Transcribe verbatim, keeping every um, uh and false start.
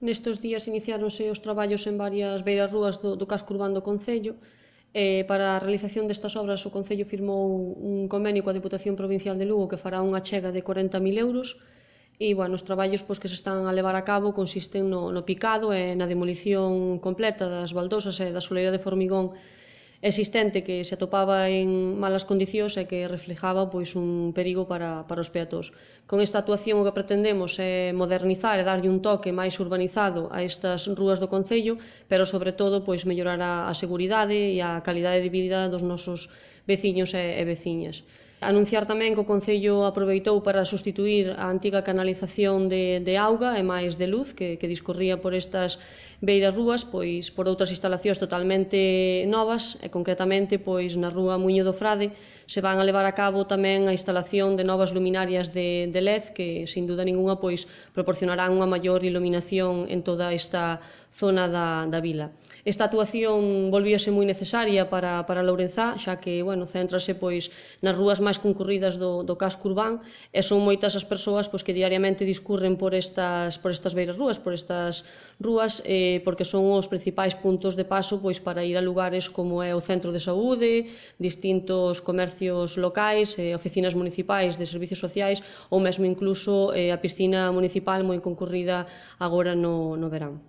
Nestes días iniciáronse os traballos en varias beirarrúas do, do casco urbano do Concello. Eh, para a realización destas obras o Concello firmou un convenio coa Deputación Provincial de Lugo que fará unha achega de corenta mil euros e, bueno, os traballos pois, que se están a levar a cabo consisten no, no picado e na demolición completa das baldosas e da soleira de formigón existente que se atopaba en malas condicións e que reflejaba pois, un perigo para, para os peatós. Con esta actuación o que pretendemos é modernizar e darlle un toque máis urbanizado a estas rúas do Concello, pero sobre todo pois, mellorar a, a seguridade e a calidade de vida dos nosos veciños e, e veciñas. Anunciar tamén que o Concello aproveitou para sustituir a antiga canalización de, de auga e máis de luz que, que discorría por estas beiras rúas pois, por outras instalacións totalmente novas e concretamente pois, na rúa Muiño do Frade se van a levar a cabo tamén a instalación de novas luminarias de, de L E D que sin duda ninguna pois, proporcionarán unha maior iluminación en toda esta zona da, da vila. Esta actuación volvíase moi necesaria para, para Lourenzá, xa que, bueno, céntrase pois, nas rúas máis concurridas do, do casco urbán e son moitas as persoas pois, que diariamente discurren por estas, por estas beiras rúas, por estas rúas, eh, porque son os principais puntos de paso pois, para ir a lugares como é o centro de saúde, distintos comercios locais, eh, oficinas municipais de servicios sociais ou mesmo incluso eh, a piscina municipal moi concurrida agora no, no verán.